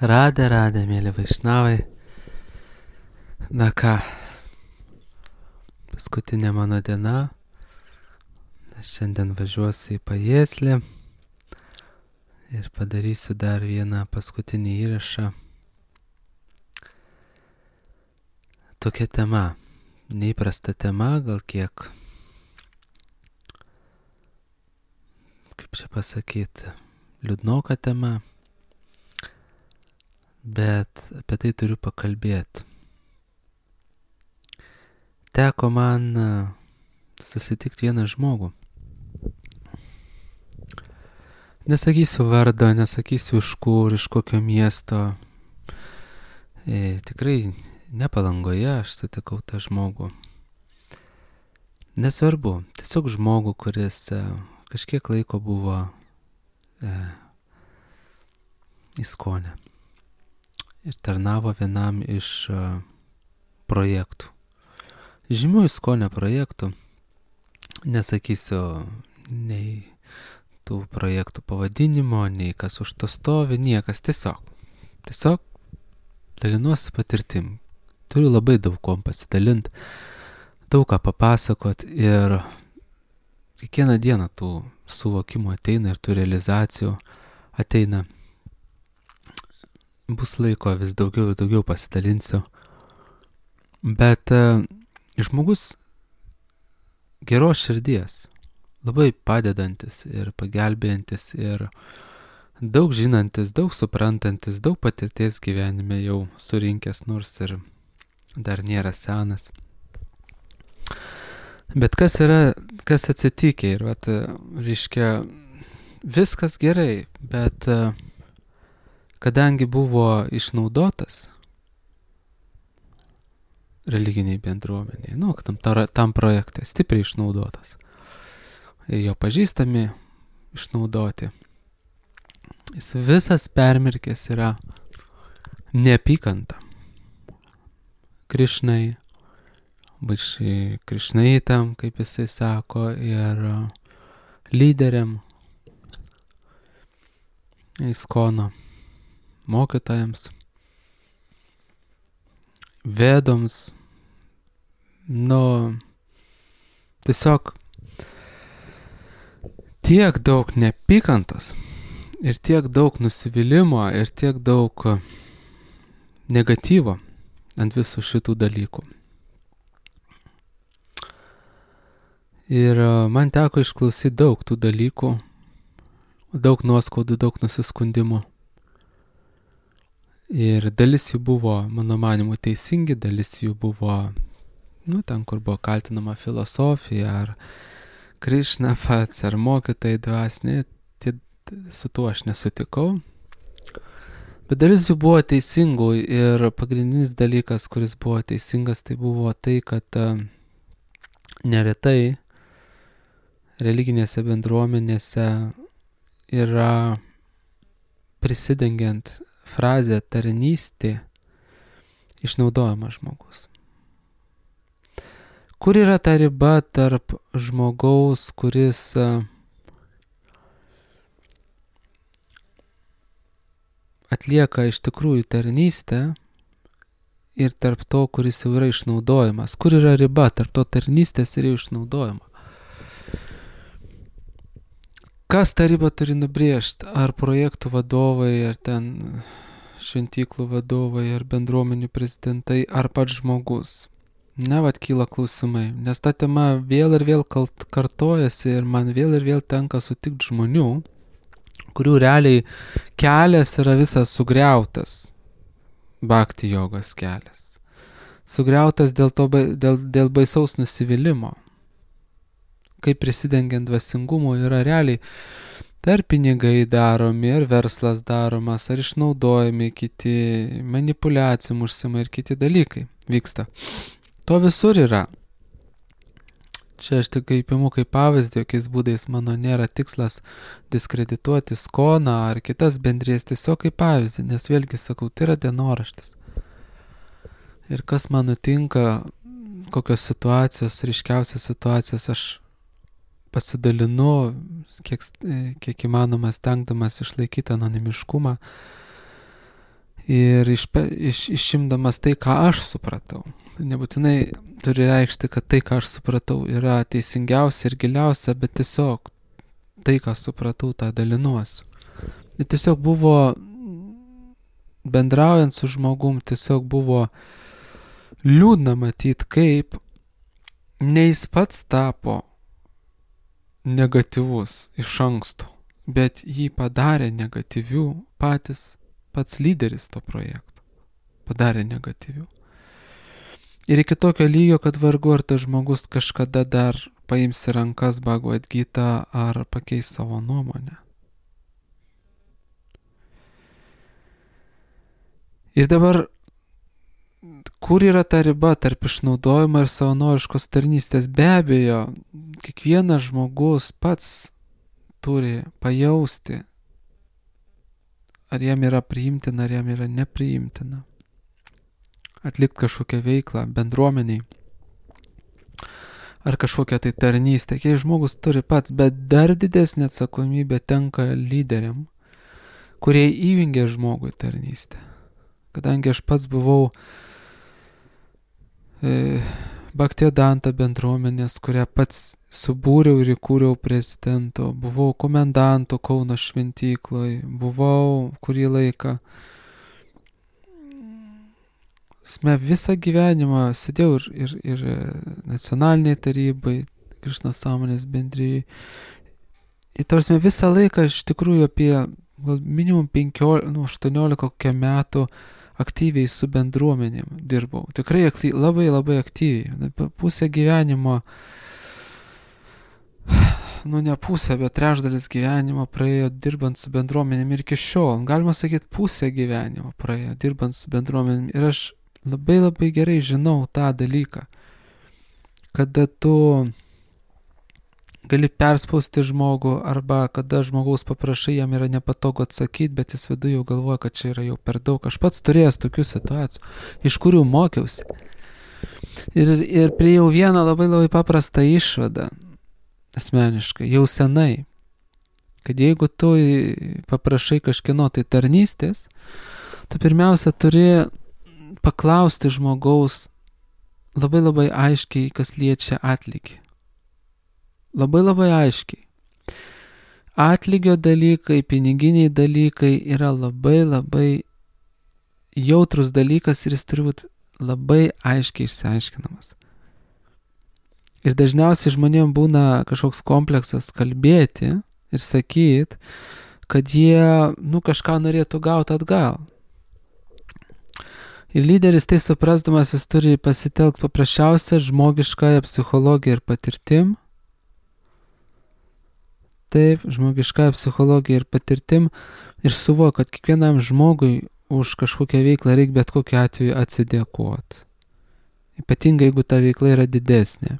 Radę, mėly vaišnavai. Na ką, paskutinė mano diena. Aš šiandien važiuosiu į Pajieslį ir padarysiu dar vieną paskutinį įrašą. Tokia tema, neįprasta tema, gal kiek, kaip čia pasakyti, liūdnoka tema, bet apie tai turiu pakalbėti. Teko man susitikti vieną žmogų. Nesakysiu vardo, nesakysiu iš kur, iš kokio miesto. Tikrai ne Palangoje aš sutikau tą žmogų. Nesvarbu, tiesiog žmogų, kuris kažkiek laiko buvo Iskone ir tarnavo vienam iš projektų. Žymių Iskone projektų, nesakysiu nei tų projektų pavadinimo, nei kas už to stovi, niekas, tiesiog dalinuosi patirtim. Turiu labai daug kom pasidalinti, daug ką papasakot ir kiekvieną dieną tų suvokimų ateina ir tų realizacijų ateina. Bus laiko vis daugiau ir daugiau pasidalinsiu. Bet žmogus geros širdies, labai padedantis ir pagelbėjantis ir daug žinantis, daug suprantantis, daug patirties gyvenime jau surinkęs, nors ir dar nėra senas. Bet kas atsitikė ir reiškia, viskas gerai, bet kadangi buvo išnaudotas religiniai bendruomeniai, tam projekte stipriai išnaudotas ir jo pažįstami išnaudoti, jis visas permirkęs yra neapykanta Krišnai, Krišnaitam, kaip jisai sako, ir lyderiam, Iskono mokytojams, vedoms, tiesiog tiek daug neapykantos ir tiek daug nusivylimo ir tiek daug negatyvo ant visų šitų dalykų. Ir man teko išklausyti daug tų dalykų, daug nuoskaudų, daug nusiskundimų. Ir dalis jų buvo, mano manimu, teisingi, dalis jų buvo, ten, kur buvo kaltinama filosofija, ar Krišna pats, ar mokytojai dvasiniai, su tuo aš nesutikau. Bet dalis jų buvo teisingų ir pagrindinis dalykas, kuris buvo teisingas, tai buvo tai, kad neretai religinėse bendruomenėse yra prisidengiant frazę tarnystė išnaudojamas žmogus. Kur yra ta riba tarp žmogaus, kuris atlieka iš tikrųjų tarnystę ir tarp to, kuris jau yra išnaudojamas? Kur yra riba tarp to tarnystės ir jau išnaudojimo? Kas tą ribą turi nubrėžti? Ar projektų vadovai, ar ten šventyklų vadovai, ar bendruomenių prezidentai, ar pats žmogus? Kyla klausimai, nes ta tema vėl ir vėl kartojasi ir man vėl ir vėl tenka sutikti žmonių, kurių realiai kelias yra visas sugriautas, bhakti jogos kelias. Sugriautas dėl baisaus nusivylimo. Kaip prisidengiant dvasingumu yra realiai ar pinigai daromi, ar verslas daromas, ar išnaudojami kiti, manipuliacijom užsima ir kiti dalykai vyksta. To visur yra. Čia aš tik imu kaip pavyzdį, jokiais būdais mano nėra tikslas diskredituoti Iskoną ar kitas bendrijas, tiesiog kaip pavyzdį, nes vėlgi sakau, tai yra dienoraštis. Ir kas man nutinka, kokios situacijos, ryškiausios situacijos, aš pasidalinu, kiek įmanoma stengdamas išlaikyti anonimiškumą ir išimdamas tai, ką aš supratau. Nebūtinai turi reikšti, kad tai, ką aš supratau, yra teisingiausia ir giliausia, bet tiesiog tai, ką supratau, tą dalinuosiu. Ir tiesiog buvo, bendraujant su žmogum, tiesiog buvo liūdna matyti, kaip ne jis pats tapo negatyvus iš anksto, bet jį padarė negatyvių pats lyderis to projekto. Padarė negatyvių. Ir iki tokio lygio, kad vargu ar tas žmogus kažkada dar paims į rankas Bhagavad Gita ar pakeis savo nuomonę. Ir dabar, kur yra ta riba tarp išnaudojimo ir savanoriškos tarnystės? Be abejo, kiekvienas žmogus pats turi pajausti, ar jam yra priimtina, ar jam yra nepriimtina. Atlikti kažkokią veiklą bendruomeniai, ar kažkokią tai tarnystę. Kiek žmogus turi pats, bet dar didesnė atsakomybė tenka lyderiam, kurie įjungia žmogui tarnystę. Kadangi aš pats buvau Bhaktivedanta bendruomenės, kurią pats subūriau ir įkūriau prezidentu, buvau komendantu Kauno šventykloj, buvau kurį laiką. Visą gyvenimą sėdėjau ir nacionaliniai tarybai, Krišnos sąmonės bendrijai. Ir tarsi visą laiką iš tikrųjų apie minimum 18 metų aktyviai su bendruomenėm dirbau. Tikrai labai labai aktyviai. Pusę gyvenimo, ne pusę, bet trečdalis gyvenimo praėjo dirbant su bendruomenėm ir iki šiol. Galima sakyti, pusę gyvenimo praėjo dirbant su bendruomenėm. Ir aš labai labai gerai žinau tą dalyką, kada tu gali perspausti žmogų arba kada žmogaus paprašai, jam yra nepatogu atsakyti, bet jis viduje jau galvoja, kad čia yra jau per daug. Aš pats turėjęs tokių situacijų, iš kurių mokiausi. Ir priėjau vieną labai labai paprastą išvadą asmeniškai, jau senai, kad jeigu tu paprašai kažkieno tai tarnystės, tu pirmiausia turi paklausti žmogaus labai labai aiškiai, kas liečia atlygį. Labai labai aiškiai. Atlygio dalykai, piniginiai dalykai yra labai labai jautrus dalykas ir jis turi būti labai aiškiai išsiaiškinamas. Ir dažniausiai žmonėms būna kažkoks kompleksas kalbėti ir sakyti, kad jie kažką norėtų gauti atgal. Ir lyderis tai suprasdamas, jis turi pasitelkti paprasčiausią žmogiškąją psichologiją ir patirtim. Taip, žmogiškąją psichologiją ir patirtim ir suvokia, kad kiekvienam žmogui už kažkokią veiklą reikia bet kokiu atveju atsidėkoti. Ypatingai, jeigu ta veikla yra didesnė.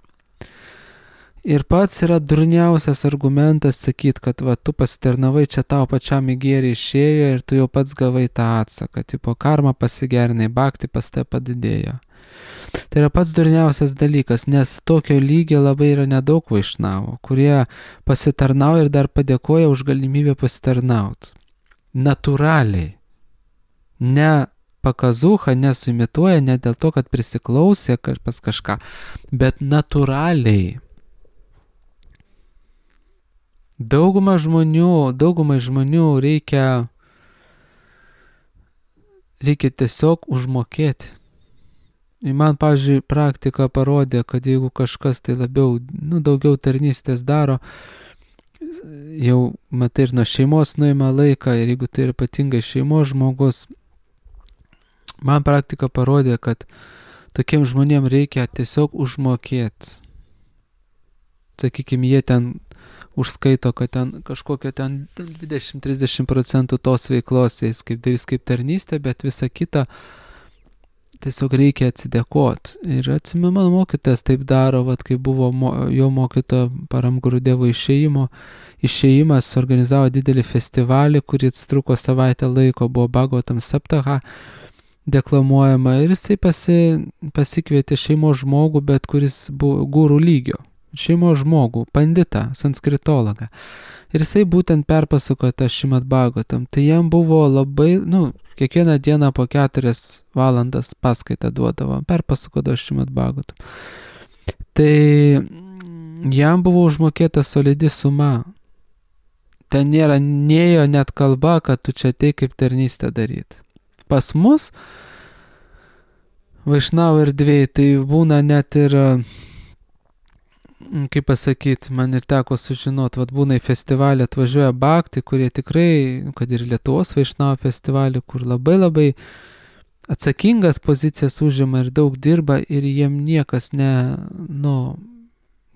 Ir pats yra durniausias argumentas sakyti, kad tu pasitarnavai, čia tau pačiam į gėrį išėjo ir tu jau pats gavai tą atsaką. Tipo karma pasigerinai, bhakti pas tai padidėjo. Tai yra pats durniausias dalykas, nes tokio lygio labai yra nedaug vaišnavų, kurie pasitarnauja ir dar padėkoja už galimybę pasitarnauti. Natūraliai. Ne pakazucha, nesuimituoja, ne dėl to, kad prisiklausė pas kažką, bet natūraliai. Daugumai žmonių reikia tiesiog užmokėti. Ir man, pavyzdžiui, praktika parodė, kad jeigu kažkas tai daugiau tarnystės daro, jau matai ir nuo šeimos nuima laiką, ir jeigu tai yra ypatingai šeimos žmogus, man praktika parodė, kad tokiem žmonėm reikia tiesiog užmokėti. Sakykime, jie ten užskaito, kad ten kažkokia 20-30% tos veiklos jais darys kaip tarnystė, bet visa kita tiesiog reikia atsidėkoti. Ir atsimenu, mano mokytojas taip daro, kai buvo jo mokytojo Param Gurudevo išėjimas, organizavo didelį festivalį, kurį truko savaitę laiko, buvo Bhagavatam Saptaha deklamuojama ir jisai pasikvietė šeimos žmogų, bet kuris buvo gurų lygio. šeimos žmogų, panditą, sanskritologą. Ir jisai būtent perpasakojo tą Šrimad Bhagavatam. Tai jam buvo labai, kiekvieną dieną po 4 valandas paskaitą duodavo, perpasakodavo Šrimad Bhagavatam. Tai jam buvo užmokėta solidi suma. Ten nėjo net kalba, kad tu čia atei kaip tarnystę daryti. Pas mus, Vaišnavų erdvėj, tai būna net ir, kaip pasakyti, man ir teko sužinot, būna į festivalį atvažiuoja bhakti, kurie tikrai, kad ir Lietuvos Vaišnavų festivalį, kur labai labai atsakingas pozicijas užima ir daug dirba ir jiem niekas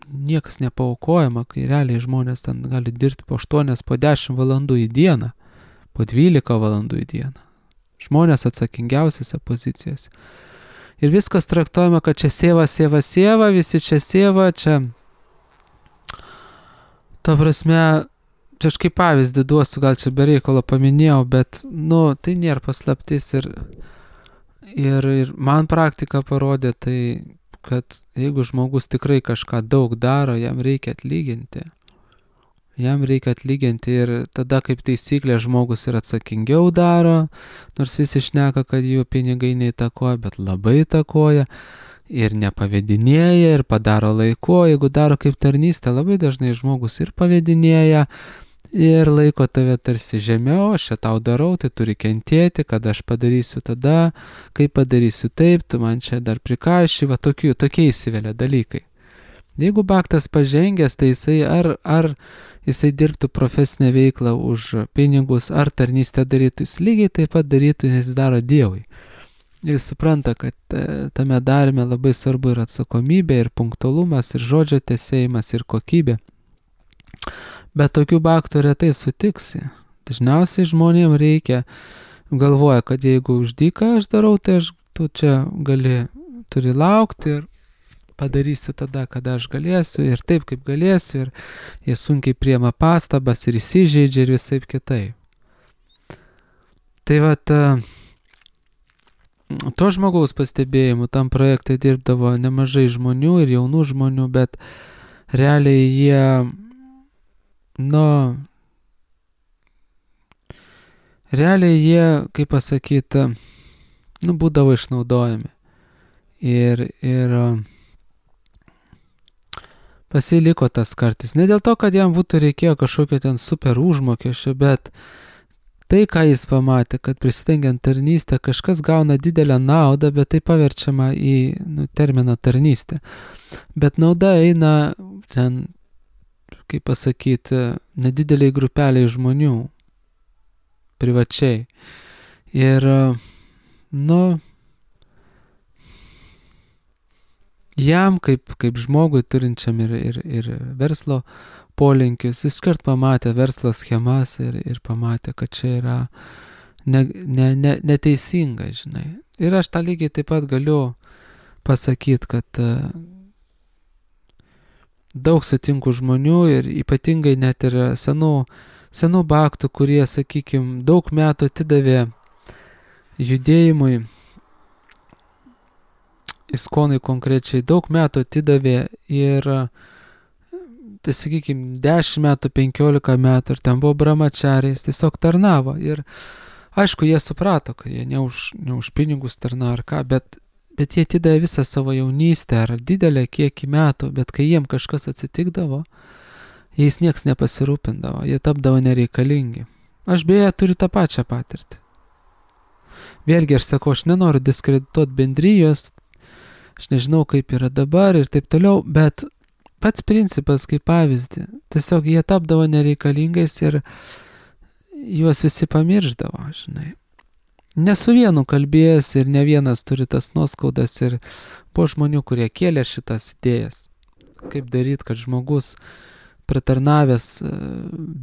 niekas nepaaukojama, kai realiai žmonės ten gali dirbti po 8, po 10 valandų į dieną, po 12 valandų į dieną. Žmonės atsakingiausiose pozicijose. Ir viskas traktuojama, kad čia sieva, visi čia sieva, čia... Ta prasme, čia aš kaip pavyzdį duosiu, gal čia bereikalo paminėjau, bet, tai nėra paslaptis ir man praktika parodė tai, kad jeigu žmogus tikrai kažką daug daro, jam reikia atlyginti. Ir tada kaip taisyklė žmogus ir atsakingiau daro, nors visi šneka, kad jų pinigai neįtakoja, bet labai įtakoja ir nepavedinėja ir padaro laiku. Jeigu daro kaip tarnystę, labai dažnai žmogus ir pavedinėja ir laiko tave tarsi žemiau, aš čia tau darau, tai turi kentėti, kad aš padarysiu tada, kai padarysiu taip, tu man čia dar prikaiši, tokie įsivelia dalykai. Jeigu bhaktas pažengęs, tai jisai ar jisai dirbtų profesinę veiklą už pinigus, ar tarnystę darytų, jis lygiai taip pat darytų, nes jis daro Dievui. Ir supranta, kad tame darime labai svarbu ir atsakomybė, ir punktualumas, ir žodžio tesėjimas, ir kokybė. Bet tokių bhaktų retai sutiksi. Dažniausiai žmonėms reikia, galvoja, kad jeigu už dyką aš darau, tai tu čia turi laukti ir padarysi tada, kada aš galėsiu ir taip, kaip galėsiu, ir jie sunkiai priema pastabas ir įsižeidžia ir visaip kitaip. Tai to žmogaus pastebėjimu tam projekte dirbdavo nemažai žmonių ir jaunų žmonių, bet realiai jie, kaip pasakyti, būdavo išnaudojami. Ir pasiliko tas kartais. Ne dėl to, kad jam būtų reikėjo kažkokio ten super užmokesčio, bet tai, ką jis pamatė, kad prisidengiant tarnystę kažkas gauna didelę naudą, bet tai paverčiama į terminą tarnystę. Bet nauda eina ten, kaip pasakyti, nedideliai grupeliai žmonių, privačiai. Ir, jam, kaip žmogui turinčiam ir verslo polinkius, jis kart pamatė verslo schemas ir pamatė, kad čia yra neteisinga, žinai. Ir aš tą lygiai taip pat galiu pasakyti, kad daug sutinku žmonių ir ypatingai net ir senų bhaktų, kurie, sakykime, daug metų atidavė judėjimui, iskonai konkrečiai daug metų atidavė ir, tai sakykime, 10 metų, 15 metų ir ten buvo brahmachariais, tiesiog tarnavo. Ir aišku, jie suprato, kad jie ne už pinigus tarnavo ar ką, bet jie atidavė visą savo jaunystę ar didelę kiekį metų, bet kai jiem kažkas atsitikdavo, jais nieks nepasirūpindavo, jie tapdavo nereikalingi. Aš beje turiu tą pačią patirtį. Vėlgi aš sakau, aš nenoriu diskredituoti bendrijos, aš nežinau, kaip yra dabar ir taip toliau, bet pats principas kaip pavyzdį. Tiesiog jie tapdavo nereikalingais ir juos visi pamirždavo, žinai. Ne su vienu kalbėjęs ir ne vienas turi tas nuoskaudas ir buvo žmonių, kurie kėlė šitas idėjas. Kaip daryti, kad žmogus pratarnavęs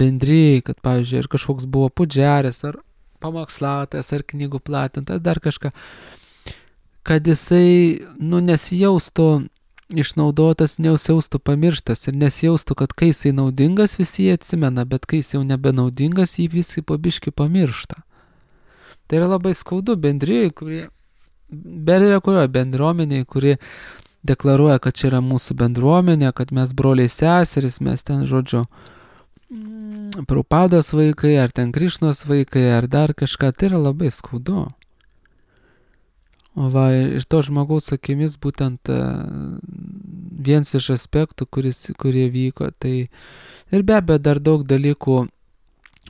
bendrijai, kad, pavyzdžiui, ir kažkoks buvo pudžiaris, ar pamokslautojas, ar knygų platintas, dar kažką, kad jisai, nesijaustų išnaudotas, nesijaustų pamirštas ir nesijaustų, kad kai jisai naudingas, visi jį atsimena, bet kai jis jau nebenaudingas, jį visi po biškį pamiršta. Tai yra labai skaudu bendrijai, bendruomeniai, kurie deklaruoja, kad čia yra mūsų bendruomenė, kad mes broliai seseris, mes ten, žodžiu, Prabhupados vaikai, ar ten Krišnos vaikai, ar dar kažką, tai yra labai skaudu. O va, ir to žmogaus akimis būtent vienas iš aspektų, kurie vyko, tai ir be abejo dar daug dalykų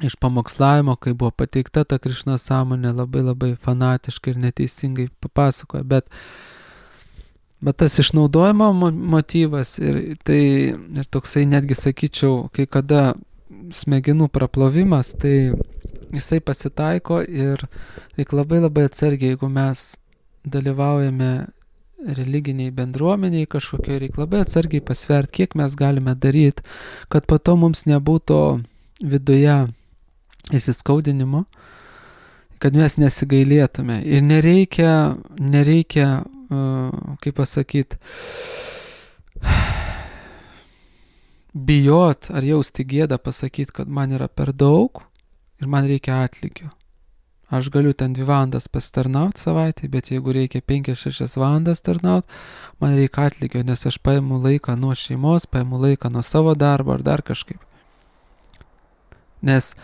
iš pamokslavimo, kai buvo pateikta ta Krišnos sąmonė, labai fanatiškai ir neteisingai papasakoja, bet tas išnaudojimo motyvas ir toksai netgi sakyčiau, kai kada smegenų praplovimas, tai jisai pasitaiko ir reikia labai atsargiai, jeigu mes dalyvaujame religiniai bendruomeniai kažkokio, reikia labai atsargiai pasvert, kiek mes galime daryti, kad po to mums nebūtų viduje įsiskaudinimo, kad mes nesigailėtume. Ir nereikia kaip pasakyti, bijot ar jausti gėdą pasakyti, kad man yra per daug ir man reikia atlygio. Aš galiu ten 2 valandas pasitarnauti savaitę, bet jeigu reikia 5-6 valandas tarnauti, man reikia atlygio, nes aš paimu laiką nuo šeimos, paimu laiką nuo savo darbo ar dar kažkaip. Nes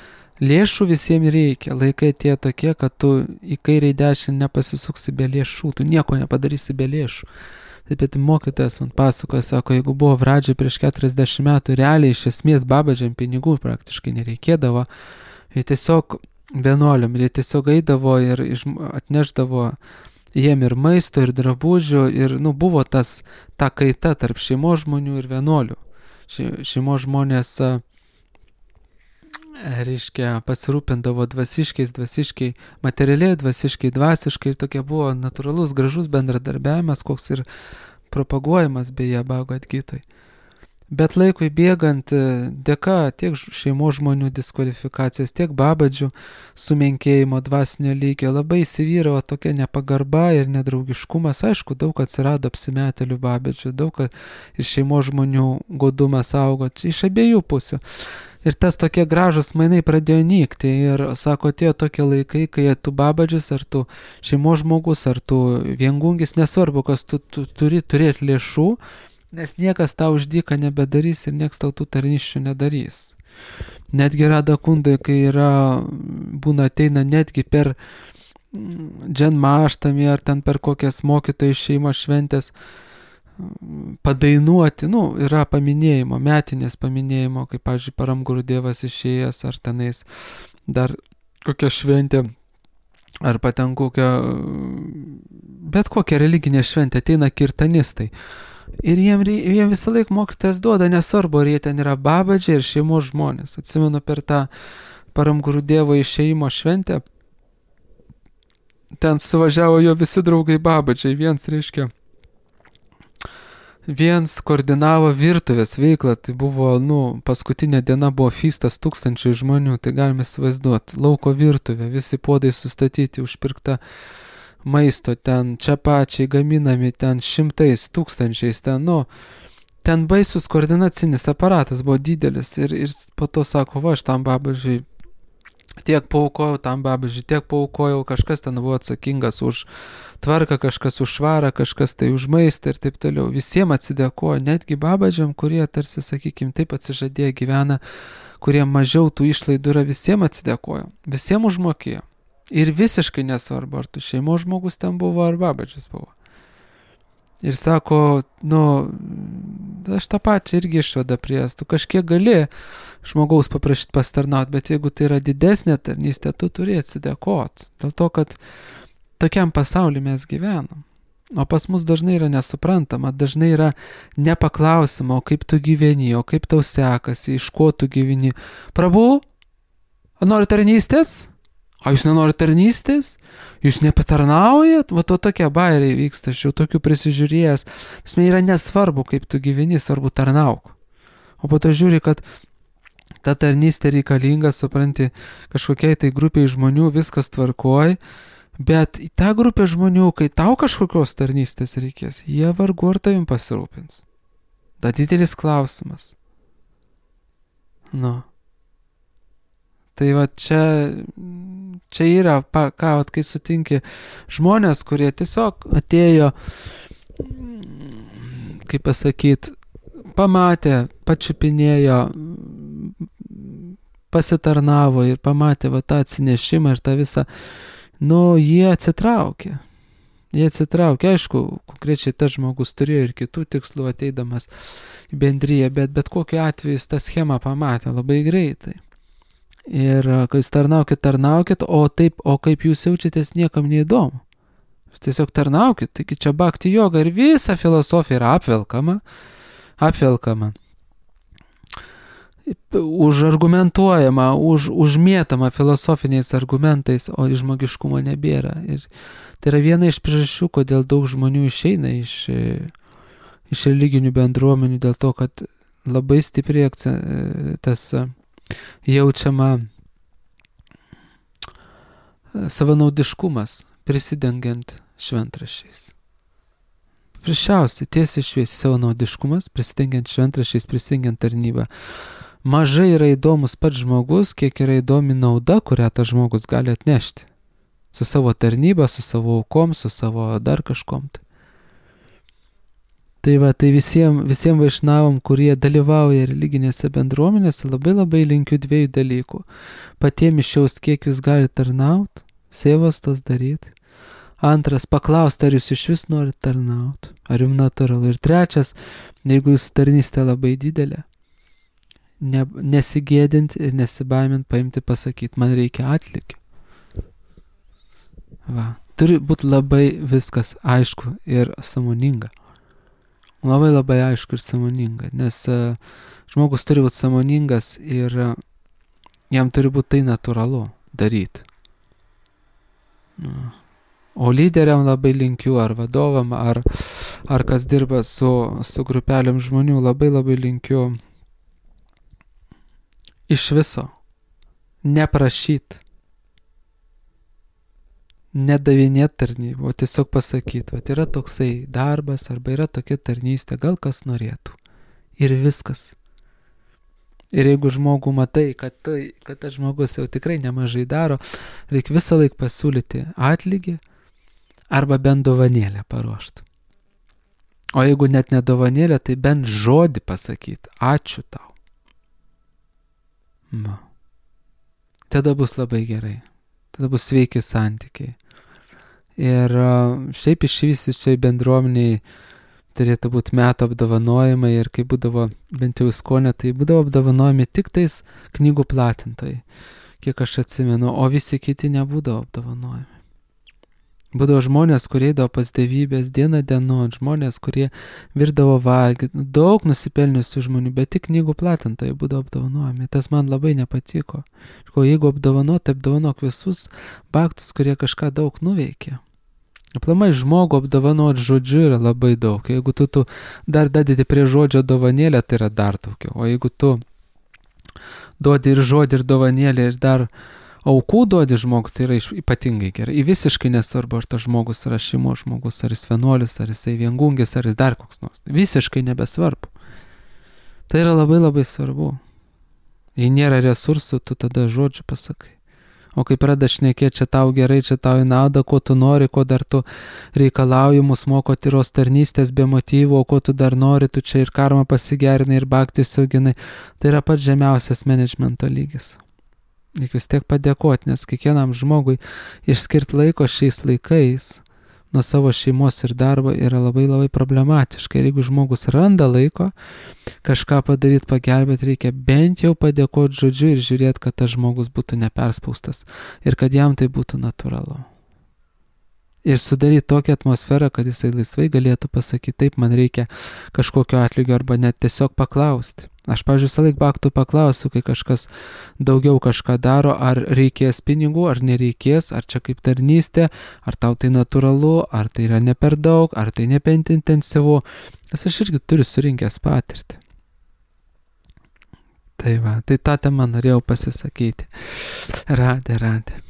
lėšų visiems reikia, laikai tie tokie, kad tu į kairę į dešinę nepasisuksi be lėšų, tu nieko nepadarysi be lėšų. Taip pat mokytojas man pasakoja, sako, jeigu buvo pradžiai prieš 40 metų, realiai iš esmės babadžiam pinigų praktiškai nereikėdavo, jie tiesiog vienuoliam, jie tiesiog eidavo ir atneždavo jiem ir maisto, ir drabužių, ir buvo ta kaita tarp šeimos žmonių ir vienuolių. Šeimos žmonės reiškia, pasirūpindavo dvasiškai, materialiai, dvasiškai ir tokia buvo natūralus, gražus bendradarbiavimas, koks ir propaguojamas beje Bhagavad Gitoj. Bet laikui bėgant, dėka tiek šeimos žmonių diskvalifikacijos, tiek babadžių sumenkėjimo dvasinio lygio, labai įsivyravo tokia nepagarba ir nedraugiškumas. Aišku, daug atsirado apsimetėlių babadžių, daug ir šeimos žmonių godumas augo iš abiejų pusių. Ir tas tokie gražus mainai pradėjo nykti ir, sako, atėjo tokie laikai, kai tu babadžis, ar tu šeimos žmogus, ar tu viengungis, nesvarbu, kas tu turi turėti lėšų, nes niekas tau už dyką nebedarys ir niekas tau tų tarnysčių nedarys. Netgi Radakundai, kai būna ateina netgi per dženmaštamį ar ten per kokias mokytojų šeimos šventės padainuoti, yra paminėjimo, metinės paminėjimo, kaip, pavyzdžiui, Paramguru Dievas išėjęs, ar tenais dar kokia šventė, arba ten bet kokia religinė šventė, ateina kirtanistai. Ir jiem visą laiką mokytojas duoda, nesvarbu, ar jie ten yra babadžiai ir šeimos žmonės. Atsimenu per tą Paramguru Dievo išėjimo šventę, ten suvažiavo jo visi draugai babadžiai, viens koordinavo virtuvės veiklą, tai buvo, paskutinė diena buvo feastas 1000 žmonių, tai galime įsivaizduoti, lauko virtuvė, visi puodai sustatyti, užpirkta maisto, ten čia pačiai gaminami, ten 100 tūkstančiais, ten baisus koordinacinis aparatas buvo didelis ir po to sako, aš tam babadžiui tiek paaukojau, kažkas ten buvo atsakingas už tvarką, kažkas už švarą, kažkas tai už maistą ir taip toliau. Visiems atsidėkojo, netgi babadžiam, kurie tarsi, sakykime, taip atsižadėję gyvena, kurie mažiau tų išlaidų yra, visiems atsidėkojo, visiems užmokėjo. Ir visiškai nesvarbu, ar tu šeimos žmogus ten buvo, ar babadžis buvo. Ir sako, aš tą pačią irgi išvadą prieš, tu kažkiek gali žmogaus paprašyti pastarnauti, bet jeigu tai yra didesnė tarnystė, tu turi atsidėkoti. Dėl to, kad tokiam pasauliu mes gyvenam. O pas mus dažnai yra nesuprantama, dažnai yra nepaklausima, o kaip tu gyveni, o kaip tau sekasi, iš ko tu gyveni. Prabhu, nori tarnystės? O jūs nenori tarnystės? Jūs nepatarnaujat? Va to tokie bairiai vyksta, aš jau tokių prisižiūrėjęs. Tasme yra nesvarbu, kaip tu gyveni, svarbu tarnauk. O po to žiūri, kad ta tarnystė reikalinga, supranti, kažkokiai tai grupiai žmonių viskas tvarkoj, bet į tą grupę žmonių, kai tau kažkokios tarnystės reikės, jie vargu ar tavim pasirūpins. Da didelis klausimas. Tai va čia yra, kai sutinki žmonės, kurie tiesiog atėjo kaip pasakyti, pamatė, pačiupinėjo, pasitarnavo ir pamatė va tą atsinešimą ir tą visą, jie atsitraukė. Jie atsitraukė, aišku, konkrečiai tas žmogus turėjo ir kitų tikslų ateidamas į bendriją, bet kokiu atveju jis tą schemą pamatė labai greitai. Ir kai jūs tarnaukit, o kaip jūs jaučiatės, niekam neįdomu. Jūs tiesiog tarnaukit, taigi čia bhakti joga ir visa filosofija yra apvelkama, užargumentuojama, užmėtama filosofiniais argumentais, o žmogiškumo nebėra. Ir tai yra viena iš priežasčių, kodėl daug žmonių išeina iš religinių bendruomenių, dėl to, kad labai stipriai tas jaučiama savanaudiškumas, prisidengiant šventraščiais. Priešiausiai, tiesiai šviesiai savanaudiškumas, prisidengiant šventraščiais, prisidengiant tarnybą. Mažai yra įdomus pats žmogus, kiek yra įdomi nauda, kurią tas žmogus gali atnešti. Su savo tarnyba, su savo aukom, su savo dar kažkom. Tai visiems vaišnavam, kurie dalyvauja religinėse bendruomenėse, labai linkiu dviejų dalykų. Patiems išjaust, kiek jūs galite tarnauti, sėvos tos daryti. Antras, paklausti, ar jūs iš vis norite tarnauti, ar jums natūralu. Ir trečias, jeigu jūsų tarnystė labai didelė, nesigėdinti ir nesibaimint paimti pasakyti, man reikia atlygio. Turi būti labai viskas aišku ir sąmoninga. Labai aišku ir sąmoninga, nes žmogus turi būti sąmoningas ir jam turi būti tai natūralu daryti. O lyderiam labai linkiu, ar vadovam, ar kas dirba su grupelėm žmonių, labai linkiu iš viso neprašyti, nedavinėti tarnybų, o tiesiog pasakyti, yra toksai darbas arba yra tokia tarnystė, gal kas norėtų. Ir viskas. Ir jeigu žmogų matai, kad tas žmogus jau tikrai nemažai daro, reikia visą laiką pasiūlyti atlygį arba bent dovanėlę paruošti. O jeigu net ne dovanėlę, tai bent žodį pasakyti. Ačiū tau. Tada bus labai gerai. Tada bus sveiki santykiai. Ir šiaip išvystyčiai bendruomeniai turėtų būti metų apdovanojimai ir kai būdavo, bent jau Iskonė, tai būdavo apdovanojami tik tais knygų platintojai, kiek aš atsimenu, o visi kiti nebūdavo apdovanojami. Būdavo žmonės, kurie eidavo pas dievybės dieną dienon, žmonės, kurie virdavo valgyti, daug nusipelniusių žmonių, bet tik knygų platintojai būdavo apdovanojami. Tas man labai nepatiko. Jeigu apdovanok visus bhaktus, kurie kažką daug nuveikė. Aplamai žmogų apdovanot žodžiu yra labai daug. Jeigu tu dar dadedi prie žodžio dovanėlę, tai yra dar daugiau. O jeigu tu duodi ir žodį, ir dovanėlę, ir dar aukų duodi žmogui, tai yra ypatingai gerai. Į visiškai nesvarbu, ar tas žmogus yra šeimos žmogus, ar jis vienuolis, ar jisai viengungis, ar jis dar koks nors. Visiškai nebesvarbu. Tai yra labai svarbu. Jei nėra resursų, tu tada žodžiu pasakai. O kai pradeda šnekėti, čia tau gerai, čia tau į naudą, ko tu nori, ko dar tu reikalauji, mus moko tyros tarnystės be motyvų, o ko tu dar nori, tu čia ir karmą pasigerinai, ir bhakti suginai. Tai yra pats žemiausias menedžmento lygis. Reikia vis tiek padėkoti, nes kiekvienam žmogui išskirti laiko šiais laikais nuo savo šeimos ir darbo yra labai problematiška. Ir jeigu žmogus randa laiko kažką padaryti, pagelbėti, reikia bent jau padėkoti žodžiu ir žiūrėti, kad tas žmogus būtų neperspaustas ir kad jam tai būtų natūralu. Ir sudaryti tokią atmosferą, kad jisai laisvai galėtų pasakyti, taip, man reikia kažkokio atlygio arba net tiesiog paklausti. Aš, pavyzdžiui, visą laiką bhaktų paklausiu, kai kažkas daugiau kažką daro, ar reikės pinigų, ar nereikės, ar čia kaip tarnystė, ar tau tai natūralu, ar tai yra ne per daug, ar tai ne per intensyvu. Nes aš irgi turiu surinkęs patirtį. Tai tą temą norėjau pasisakyti. Radė.